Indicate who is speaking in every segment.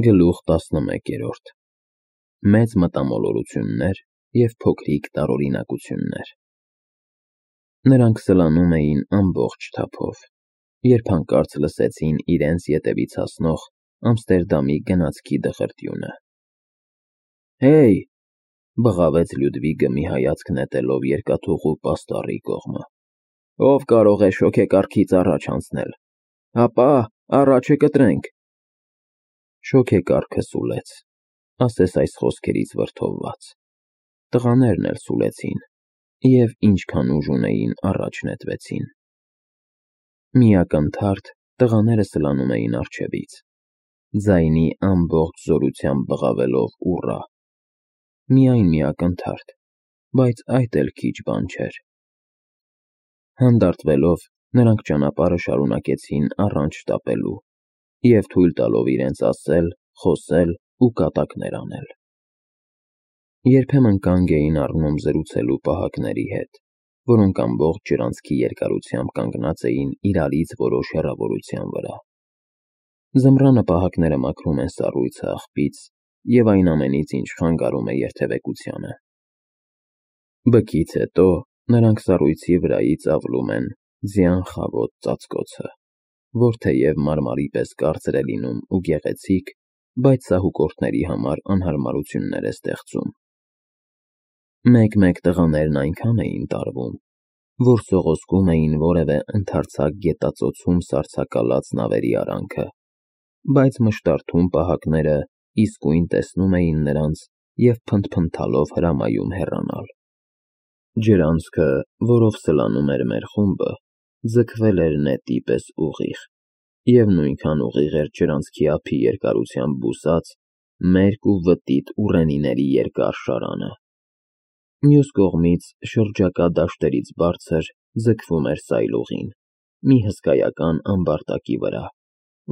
Speaker 1: Գլուխ 11 Մեծ մտամոլորություններ և փոքրիկ տարօրինակություններ։ Նրանք սլանում էին ամբողջ թափով, երբ հանկարծ լսեցին իրենց ետևից հասնող Ամստերդամի գնացքի դղրդյունը։ «Հեյ», բղավեց Լյուդվիգը մի հայացք նետելով երկաթուղու պաստառի կողմը, «ով կարող է շոգեկարգից առաջ անցնել, ապա առաջը կտրենք»։ Շոգեկարգը սուլեց, ասես այս խոսքերից վրդովված։ Տղաներն էլ սուլեցին և ինչքան ուժ ունեին առաջ նետվեցին։ Մի ակնթարթ տղաները սլանում էին առջևից, ձայնի ամբողջ զորությամբ բղավելով «ուռա»։ Միայն մի ակնթարթ, բայց այդ էլ քիչ բան չէր։ Հանդարտվելով նրանք ճանապարհը շարունակեցին առանց շտապելու և թույլ տալով իրենց ասել, խոսել ու կատակներ անել։ Երբեմն կանգ էին առնում զրուցելու պահակների հետ, որոնք ամբողջ ջրանցքի երկարությամբ կանգնած էին իրարից որոշ հեռավորության վրա։ Ձմռանը պահակները մաքրում են սառույցը աղբից և այն ամենից, ինչ խանգարում է երթևեկությանը։ Բքից հետո նրանք սառույցի վրայից ավլում են ձյան խավոտ ծածկոցը, որ թեև մարմարի պես կարծր է լինում ու գեղեցիկ, բայց սահուկորդների համար անհարմարություններ է ստեղծում։ Մեկ-մեկ տղաներն այնքան էին տարվում, որ սողոսկում էին որևէ ընդարձակ գետածոցում սառցակալած նավերի արանքը, բայց մշտարթուն պահակները իսկույն տեսնում էին նրանց և փնթփնթալով հրամայում հեռանալ։ Ջրանցքը, որով սլանում էր մեր խումբը, ձգվել էր նետի պես ուղիղ, և նույնքան ուղիղ էր ջրանցքի ափի երկարությամբ բուսած, մերկ ու վտիտ ուռենիների երկար շարանը։ Մյուս կողմից շրջակա դաշտերից բարձր ձգվում էր սայլուղին, մի հսկայական ամբարտակի վրա,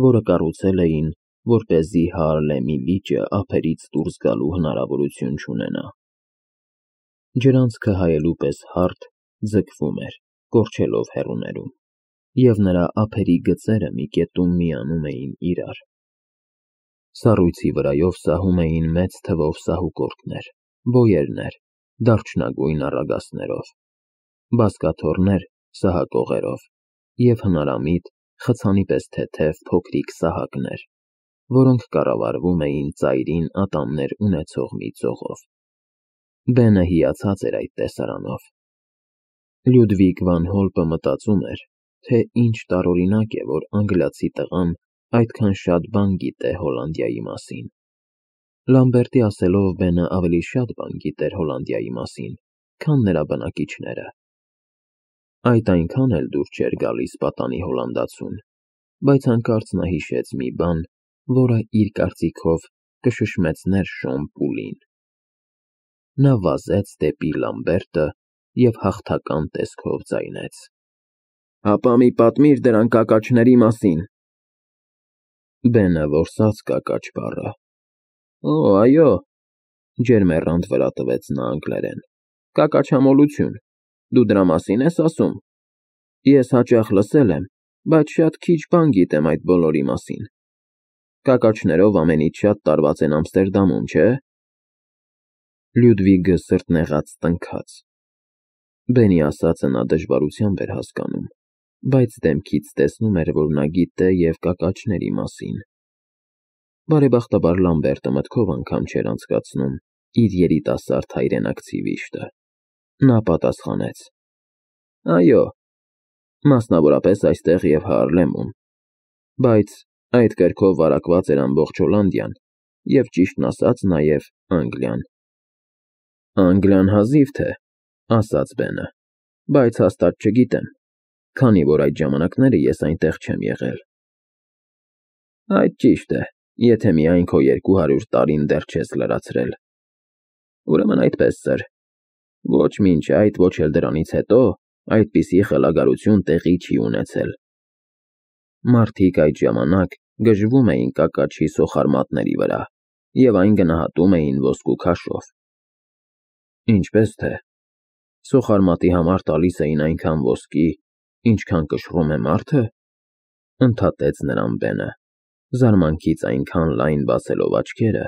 Speaker 1: որը կառուցել էին, որպեսզի Հաարլեմի լիճը ափերից դուրս գալու հնարավորություն չունենա։ Ջրանցքը հայելու պես հարթ ձգվում էր, կորչելով հեռուներում, և նրա ափերի գծերը մի կետում միանում էին իրար։ Սառույցի վրայով սահում էին մեծ թվով սահուկորդներ, բոյերներ, դարչնագույն առագաստներով, բազկաթոռներ սահակողերով և հնարամիտ, խցանի պես թեթև փոքրիկ սահակներ, որոնք կառավարվում էին ծայրին ատամներ ունեցող մի ծողով։ Բենը հիացած էր այդ տեսարանով։ Լյուդվիգ վան Հոլպը մտածում էր, թե ինչ տարօրինակ է, որ անգլիացի տղան այդքան շատ բան գիտե Հոլանդիայի մասին։ Լամբերտի ասելով Բենը ավելի շատ բան գիտեր Հոլանդիայի մասին, քան նրա բնակիչները։ Այդ այնքան էլ դուր չէր գալիս պատանի հոլանդացուն, բայց հանկարծ նա հիշեց մի բան, որը իր կարծիքով կշշմեցներ Շոն Պուլին։ Նա վազեց դեպի Լամբերտը և հաղթական տեսքով ձայնեց. «Հապա մի պատմիր դրան կակաչների մասին»։ Բենը որսաց կակաչ բառը։ «Օ, այո», ջերմեռանդ վրա տվեց նա անգլերեն, «կակաչամոլություն, դու դրա մասի՞ն ես ասում։ Ես հաճախ լսել եմ, բայց շատ քիչ բան գիտեմ այդ բոլորի մասին։ Կակաչներով ամենից շատ տարված են Ամստերդամում, չէ՞։ Լյուդվիգը սրտնեղած տնքաց։ Բենի ասածը նա դժվարությամբ էր հասկանում, բայց դեմքից տեսնում էր, որ նա գիտե և կակաչների մասին։ Բարեբախտաբար Լամբերտը մտքով անգամ չէր անցկացնում իր երիտասարդ հայրենակցի վիշտը։ Նա պատասխանեց. «Այո, մասնավորապես այստեղ և Հաարլեմում, բայց այդ կրքով վարակված էր ամբողջ Հոլանդիան և, ճիշտն ասած, նաև Անգլիան»։ «Անգլիան հազիվ թե», ասաց Բենը, «բայց հաստատ չգիտեմ, քանի որ այդ ժամանակները ես այնտեղ չեմ եղել»։ «Այդ ճիշտ է, եթե միայն քո 200 տարին դեռ չես լրացրել։ Ուրեմն այդպես, սըր, ոչ մինչ այդ, ոչ էլ դրանից հետո այդպիսի խելագարություն տեղի չի ունեցել։ Մարդիկ այդ ժամանակ գժվում էին կակաչի սոխարմատների վրա և այն գնահատում էին ոսկու քաշով։ Ինչպես թե, սոխարմատի համար տալիս էին այնքան ոսկի, ինչքան կշռում է մարդը, ընդհատեց նրան Բենը։ զարմանքից այնքան լայն բացելով աչքերը,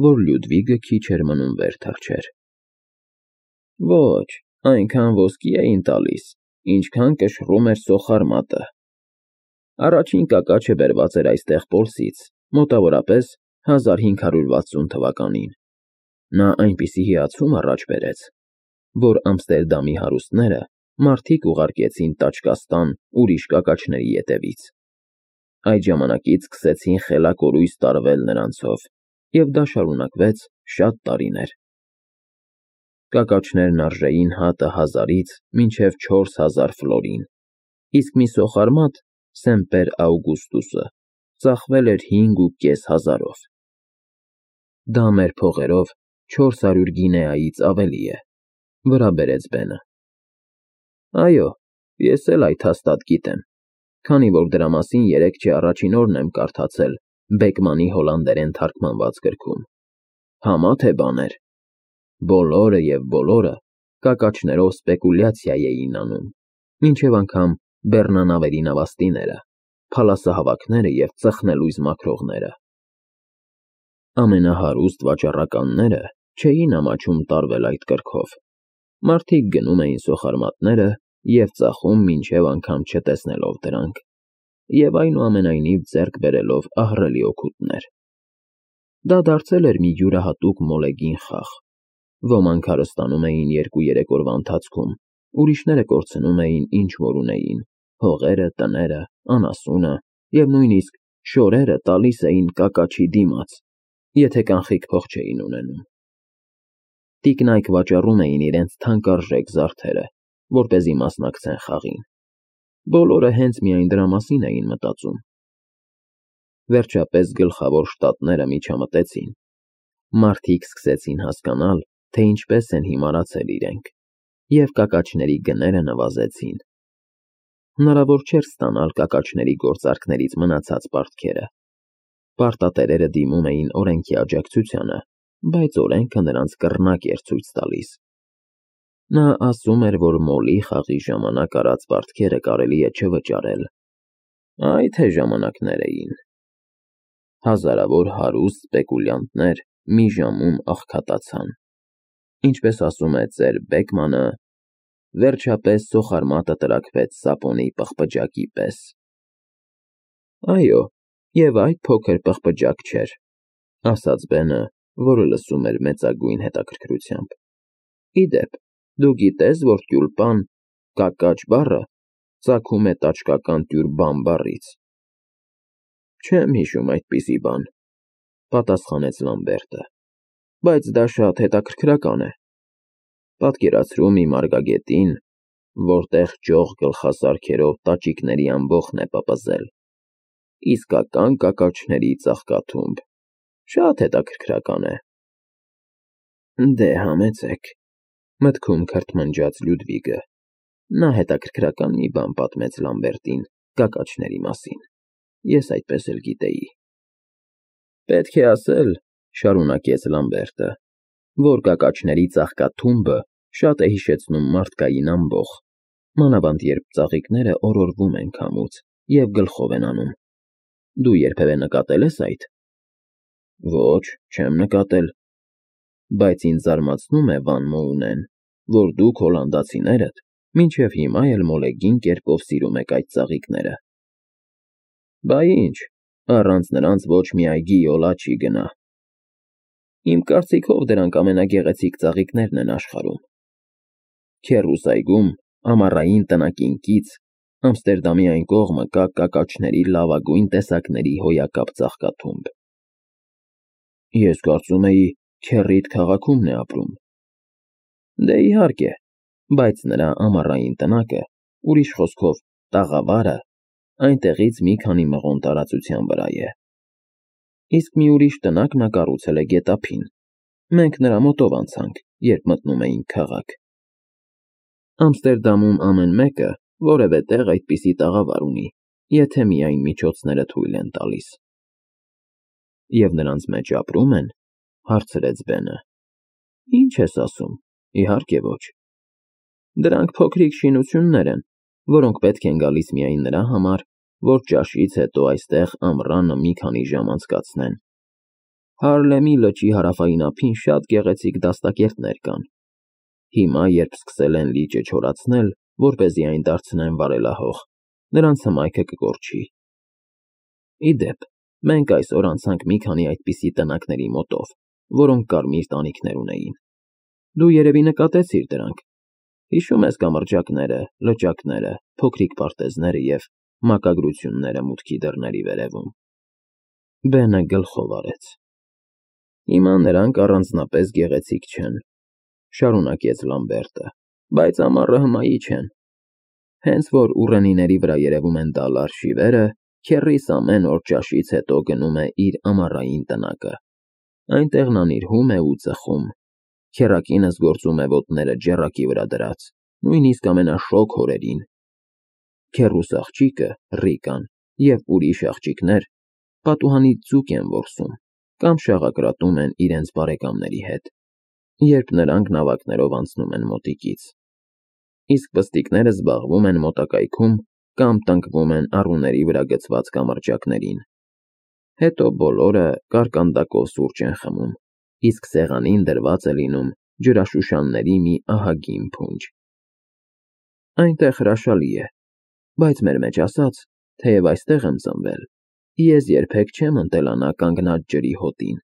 Speaker 1: որ Լյուդվիգը քիչ էր մնում վեր թռչեր։ Ոչ, այնքան ոսկի էին տալիս, ինչքան կշռում էր սոխարմատը։ Առաջին կակաչը բերված էր այստեղ Պոլսից, մոտավորապես 1560 թվականին։ Նա այնպիսի հիացում առաջ բերեց, որ Ամստերդամի հարուստները մարդիկ ուղարկեցին Տաճկաստան ուրիշ կակաչների ետևից։ Այդ ժամանակից սկսեցին խելակորույս տարվել նրանցով, և դա շարունակվեց շատ տարիներ։ Կակաչներն արժեին հատը 1000-ից մինչև 4000 ֆլորին, իսկ մի սոխարմատ Սեմպեր Աուգուստուսը ծախվել էր 5500-ով։ Դա մեր փողերով 400 գինեայից ավելի է, վրա բերեց Բենը։ Այո, ես էլ այդ հաստատ գիտեմ, քանի որ դրա մասին երեկ չէ առաջին օրն եմ կարդացել Բեկմանի հոլանդերեն թարգմանված գրքում։ Համա թե բաներ։ Բոլորը և բոլորը կակաչներով սպեկուլյացիա էին անում, մինչև անգամ բեռնանավերի նավաստիները, փալասահավաքները և ծխնելույզ մաքրողները։ Ամենահարուստ վաճառականները չէին ամաչում տարվել այդ կրքով։ Մարդիկ գնում էին սոխարմատները և ծախում մինչև անգամ չտեսնելով դրանք, և այնուամենայնիվ ձեռք բերելով ահռելի օգուտներ։ Դա դարձել էր մի յուրահատուկ մոլեգին խաղ։ Ոմանք հարստանում էին 2-3 օրվա ընթացքում, ուրիշները կորցնում էին ինչ որ ունեին, հողերը, տները, անասունը և նույնիսկ շորերը տալիս էին կակաչի դիմաց, եթե կանխիկ փող չէին ունենում։ Տիկնայք վաճառում էին իրենց թանկարժեք զարդերը, որպեսզի մասնակցեն խաղին։ Բոլորը հենց միայն դրա մասին էին մտածում։ Վերջապես գլխավոր շտատները միջամտեցին։ Մարդիկ սկսեցին հասկանալ, թե ինչպես են հիմարացել իրենք, և կակաչների գները նվազեցին։ Հնարավոր չէր ստանալ կակաչների գործարքներից մնացած պարտքերը։ Պարտատերերը դիմում էին օրենքի աջակցությանը, բայց օրենքը նրանց կռնակ էր ցույց տալիս։ Նա ասում էր, որ մոլի խաղի ժամանակ արած պարտքերը կարելի է չվճարել։ Այ թե ժամանակներ էին։ Հազարավոր հարուստ սպեկուլյանտներ մի ժամում աղքատացան։ Ինչպես ասում է ծեր Բեկմանը, վերջապես սոխարմատը տրաքվեց սապոնի պղպջակի պես։ Այո, և այդ փոքր պղպջակ չէր, ասաց Բենը, որը լսում էր մեծագույն հետաքրքրությամբ։ Ի դեպ, դու գիտե՞ս, որ տյուլպան կակաչ բառը ծագում է տաճկական տյուր֊բան բառից։ Չեմ հիշում այդպիսի բան, պատասխանեց Լամբերտը, բայց դա շատ հետաքրքրական է։ Պատկերացրու մի մարգագետին, որտեղ ճոխ գլխասարքերով տաճիկների ամբոխն է պպզել, իսկական կակաչների ծաղկաթումբ, շատ հետաքրքրական է։ Դե համեցեք, մտքում քրթմնջաց Լյուդվիգը։ Նա հետաքրքրական մի բան պատմեց Լամբերտին կակաչների մասին, ես այդպես էլ գիտեի։ Պետք է ասել, շարունակեց Լամբերտը, որ կակաչների ծաղկաթումբը շատ է հիշեցնում մարդկային ամբոխ, մանավանդ երբ ծաղիկները օրորվում են քամուց և գլխով են անում։ Դու երբևէ նկատել ես այդ։ Ոչ, չեմ նկատել։ Բայց ինձ զարմացնում է, Վան Մոունեն, որ դուք հոլանդացիներդ մինչև հիմա էլ մոլեգին կերպով սիրում եք այդ ծաղիկները։ Բա ինչ, առանց նրանց ոչ մի այգի յոլա չի գնա։ Իմ կարծիքով դրանք ամենագեղեցիկ ծաղիկներն են աշխարհում։ Քեռուս այգում, ամառային տնակինքից, Ամստերդամի այն կողմը կա կակաչների լավագույն տեսակների հոյակապ ծաղկաթումբ։ Ես կարծում էի, քեռիդ քաղաքում է ապրում։ Դե իհարկե, բայց նրա ամառային տնակը, ուրիշ խոսքով, տաղավարը, այնտեղից մի քանի մղոն տարածության վրա է։ Իսկ մի ուրիշ տնակ նա կառուցել է գետափին։ Մենք նրա մոտով անցանք, երբ մտնում էինք քաղաք։ Ամստերդամում ամեն մեկը որևէ տեղ այդպիսի տաղավար ունի, եթե միայն միջոցները թույլ են տալիս։ Եվ նրանց մեջ ապրում են, հարցրեց Բենը։ Ինչ ես ասում, իհարկե ոչ։ Դրանք փոքրիկ շինություններ են, որոնք պետք են գալիս միայն նրա համար, որ ճաշից հետո այստեղ ամռանը մի քանի ժամ անցկացնեն։ Հարլեմի լճի հարավային ափին շատ գեղեցիկ դաստակերտներ կան։ Հիմա, երբ սկսել են լիճը չորացնել, որպեսզի այն դարձնեն վարելահող, նրանց հմայքը կկորչի։ Ի դեպ, մենք այսօր անցանք մի քանի այդպիսի տնակների մոտով, որոնք կարմիր տանիքներ ունեին։ Դու երևի նկատեցիր դրանք։ Հիշում ես կամրջակները, լճակները, փոքրիկ պարտեզները և մակագրությունները մուտքի դռների վերևում։ Բենը գլխով արեց։ Հիմա նրանք առանձնապես գեղեցիկ չեն, շարունակեց Լամբերտը, բայց ամառը հմայի չեն։ Հենց որ ուռենիների վրա երևում են դալար շիվերը, քեռիս ամեն օր ճաշից հետո գնում է իր ամառային տնակը։ Այնտեղ նա նիրհում է ու ծխում։ Քեռակինս գործում է ոտները ջեռակի վրա դրած, նույնիսկ ամենաշոգ օրերին։ Քեռուս աղջիկը, Ռիկան, և ուրիշ աղջիկներ պատուհանից ձուկ են որսում կամ շաղակրատում են իրենց բարեկամների հետ, երբ նրանք նավակներով անցնում են մոտիկից։ Իսկ պստիկները զբաղվում են մոտակայքում կամ տնկվում են առուների վրա գցված կամրջակներին։ Հետո բոլորը կարկանդակով սուրճ են խմում, իսկ սեղանին դրված է լինում ջրաշուշանների մի ահագին փունջ։ Այնտեղ հրաշալի է, բայց մեր մեջ ասած, թեև այստեղ եմ ծնվել, ես երբեք չեմ ընտելանա կանգնած ջրի հոտին,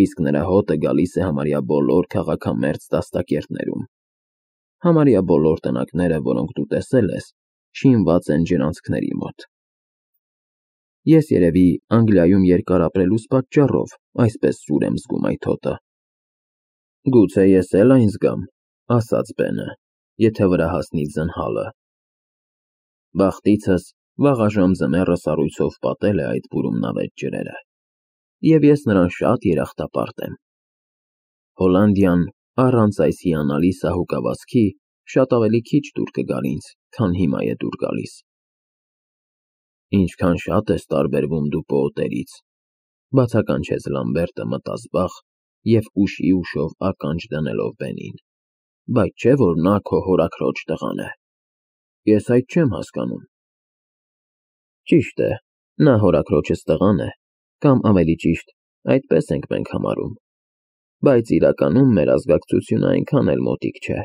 Speaker 1: իսկ նրա հոտը գալիս է համարյա բոլոր քաղաքամերձ դաստակերտներում։ Համարյա բոլոր տնակները, որոնք դու տեսել ես, շինված են ջրանցքների մոտ։ Ես երևի Անգլիայում երկար ապրելուս պատճառով այսպես սուր եմ զգում այդ հոտը։ Գուցե ես էլ այն զգամ, ասաց Բենը, եթե վրա հասնի զնհալը։ Բախտիցս վաղաժամ ձմեռը սառույցով պատել է այդ բուրումնավետ ջրերը, և ես նրան շատ երախտապարտ եմ։ Հոլանդիան առանց այս հիանալի սահուկավազքի շատ ավելի քիչ դուր կգար ինձ, քան հիմա է դուր գալիս։ Ինչքան շատ ես տարբերվում դու պոոտերից, բացականչեց Լամբերտը մտազբաղ և ուշի ուշով ականջ դնելով Բենին, բայց չէ՞ որ նա քո հորաքրոջ տղան է։ Ես այդ չեմ հասկանում։ Ճիշտ է, նա հորաքրոջս տղան է, կամ ավելի ճիշտ, այդպես ենք մենք համարում, բայց իրականում մեր ազգակցությունը այնքան էլ մոտիկ չէ։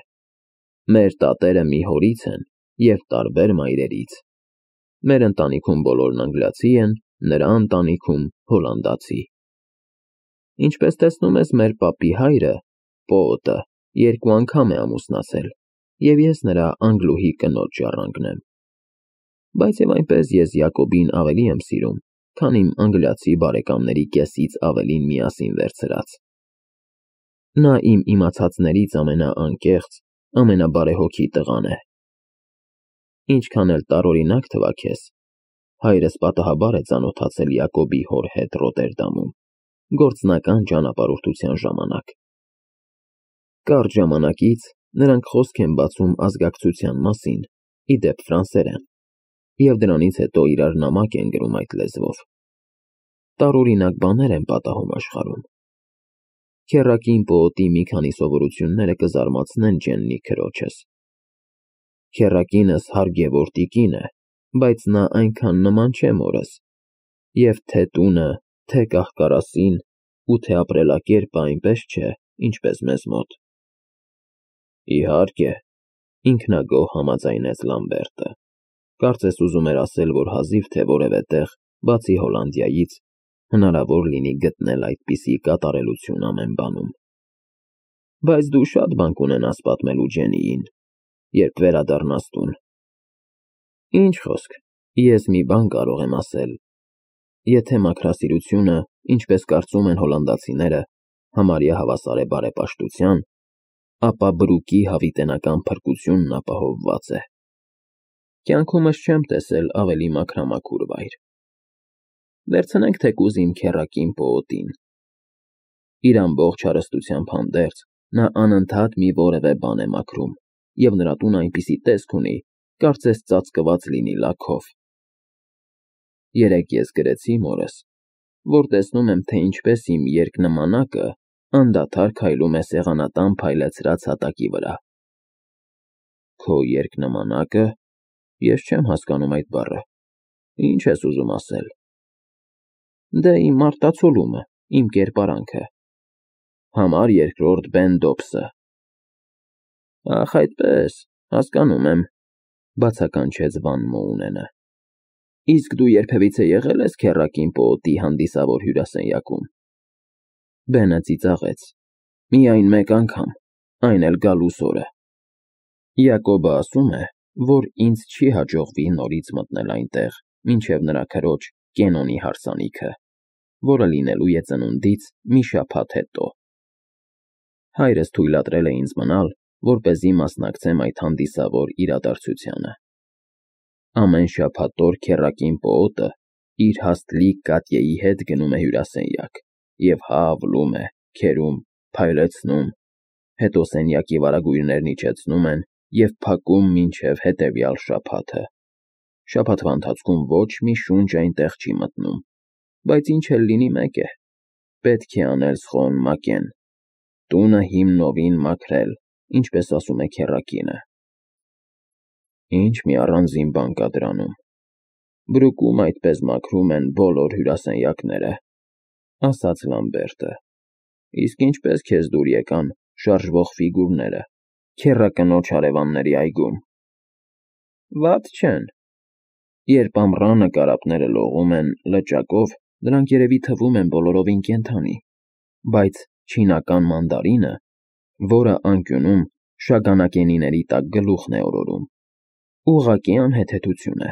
Speaker 1: Մեր տատերը մի հորից են և տարբեր մայրերից։ Մեր ընտանիքում բոլորն անգլիացի են, նրա ընտանիքում՝ հոլանդացի։ Ինչպես տեսնում ես, մեր պապի հայրը, պոոտը, 2 անգամ է ամուսնացել, և ես նրա անգլուհի կնոջ ժառանգն եմ։ Բայց և այնպես ես Յակոբին ավելի եմ սիրում, քան իմ անգլիացի բարեկամների կեսից ավելին միասին վերցրած։ Նա իմ իմացածներից ամենաանկեղծ, ամենաբարեհոգի տղան է։ Ինչքան էլ տարօրինակ թվա քեզ, հայրս պատահաբար է ծանոթացել Յակոբի հոր հետ Ռոտերդամում, գործնական ճանապարհորդության ժամանակ։ Կարճ ժամանակից նրանք խոսք են բացում ազգակցության մասին, ի դեպ ֆրանսերեն, և դրանից հետո իրար նամակ են գրում այդ լեզվով։ Տարօրինակ բաներ են պատահում աշխարհում։ Քեռակին պոոտի մի քանի սովորությունները կզարմացնեն Ջեննի քրոջս։ Քեռակինս հարգևոր տիկին է, բայց նա այնքան նման չէ մորս, և թե տունը, թե կահ֊կարասին ու թե ապրելակերպը այնպես չէ, ինչպես մեզ մոտ։ Իհարկե, ինքնագոհ համաձայնեց Լամբերտը, կարծես ուզում էր ասել, որ հազիվ թե որևէ տեղ, բացի Հոլանդիայից, հնարավոր լինի գտնել այդպիսի կատարելություն ամեն բանում։ Բայց դու շատ բան կունենաս պատմելու Ջեննիին, երբ վերադառնաս տուն։ Ինչ խոսք, ես մի բան կարող եմ ասել. եթե մաքրասիրությունը, ինչպես կարծում են հոլանդացիները, համարյա հավասար է բարեպաշտության, ապա Բրուկի հավիտենական փրկությունն ապահովված է։ Կյանքումս չեմ տեսել ավելի մաքրամաքուր վայր։ Վերցնենք թեկուզ իմ քեռակին պոոտին։ Իր ամբողջ հարստությամբ հանդերձ, նա անընդհատ մի որևէ բան է մաքրում, և նրա տունը այնպիսի տեսք ունի, կարծես ծածկված լինի լաքով։ Երեկ ես գրեցի մորս, որ տեսնում եմ, թե ինչպես իմ երկնմանակը անդադար քայլում է սեղանատան փայլեցրած հատակի վրա։ Քո երկնմանակը։ Ես չեմ հասկանում այդ բառը։ Ինչ ես ուզում ասել։ Դե իմ մարտացոլումը, իմ կերպարանքը։ Համար երկրորդ Բեն Դոբսը։ Ախ, այդպես, հասկանում եմ, բացականչեց Վան Մոունենը։ Իսկ դու երբևիցե եղել ես քեռակին պոոտի հանդիսավոր հյուրասենյակում։ Բենը ծիծաղեց։ Միայն մեկ անգամ, այն էլ գալուս օրը։ Յակոբը ասում է, որ ինձ չի հաջողվի նորից մտնել այնտեղ, մինչև նրա քրոջ Կենոնի հարսանիքը, որը լինելու է ծնունդից մի շաբաթ հետո։ Հայրս թույլատրել է ինձ մնալ, որպեսզի մասնակցեմ այդ հանդիսավոր իրադարձությանը։ Ամեն շաբաթօր քեռակին պոոտը իր հաստլիկ Կատյեի հետ գնում է հյուրասենյակ և հավլում է, քերում, փայլեցնում, հետո սենյակի վարագույրներն իջեցնում են և փակում մինչև հետևյալ շաբաթը։ Շաբաթվա ընթացքում ոչ մի շունչ այնտեղ չի մտնում, բայց ինչ էլ լինի մեկ է, պետք է անել սխոն մակեն, տունը հիմնովին մաքրել, ինչպես ասում է քեռակինը։ Ինչ մի առանձին բան կա դրանում։ Բրուկում այդպես մաքրում են բոլոր հյուրասենյակները, ասաց Լամբերտը։ Իսկ ինչպես քեզ դուր եկան շարժվող ֆիգուրները քեռակնոջ հարևանների այգում։ Վատ չեն։ Երբ ամռանը կարապները լողում են լճակով, դրանք երևի թվում են բոլորովին կենդանի, բայց չինական մանդարինը, որը անկյունում շագանակենիների տակ գլուխն է օրորում, ուղղակի անհեթեթություն է։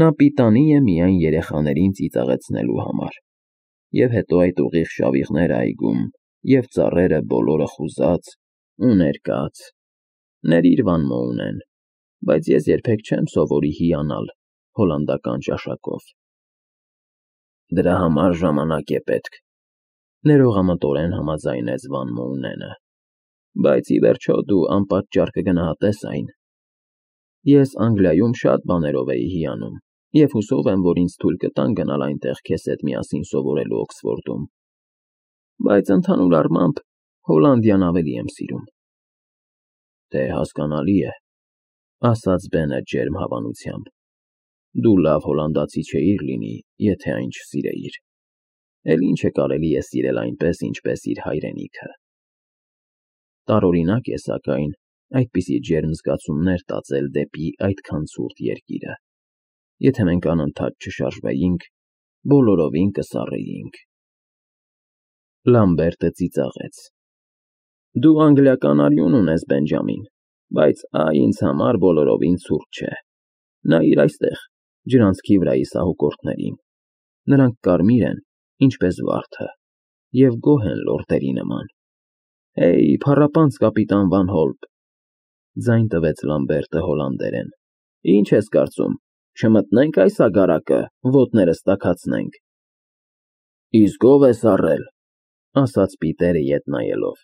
Speaker 1: Նա պիտանի է միայն երեխաներին ծիծաղեցնելու համար։ Եվ հետո այդ ուղիղ շավիղները այգում, և ծառերը բոլորը խուզած ու ներկած։ Ներիր, Վան Մոունեն, բայց ես երբեք չեմ սովորի հիանալ հոլանդական ճաշակով։ Դրա համար ժամանակ է պետք, ներողամտորեն համաձայնեց Վան Մոունենը, բայց ի վերջո դու անպատճառ կգնահատես այն։ Ես Անգլիայում շատ բաներով էի հիանում, և հուսով եմ, որ ինձ թույլ կտան գնալ այնտեղ քեզ հետ միասին սովորելու Օքսֆորդում, բայց ընդհանուր առմամբ Հոլանդիան ավելի եմ սիրում։ Դե հասկանալի է, ասաց Բենը ջերմ հավանությամբ։ Դու լավ հոլանդացի չէիր լինի, եթե այն չսիրեիր։ Էլ ինչ է կարելի է սիրել այնպես, ինչպես իր հայրենիքը։ Տարօրինակ է, սակայն, այդպիսի ջերմ զգացումներ տածել դեպի այդքան ցուրտ երկիրը։ Եթե մենք անընդհատ չշարժվեինք, բոլորովին կսառեինք։ Լամբերտը ծիծաղեց։ Դու անգլիական արյուն ունես, Բենջամին, բայց այ ինձ համար բոլորովին ցուրտ չէ։ Նայիր այստեղ, ջրանցքի վրայի սահուկորդներին։ Նրանք կարմիր են, ինչպես վարդը, և գոհ են լորդերի նման։ Հեյ, փառապանց կապիտան Վան Հոլպ, ձայն տվեց Լամբերտը հոլանդերեն։ Ինչ ես կարծում, չմտնենք այս ագարակը, ոտներս տաքացնենք։ Իսկ ով է սառել, ասաց Պիտերը ետ նայելով։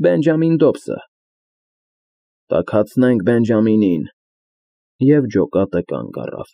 Speaker 1: Բենջամին Դոբսը։ Տաքացնենք Բենջամինին։ Եվ ջոկատը կանգ առավ։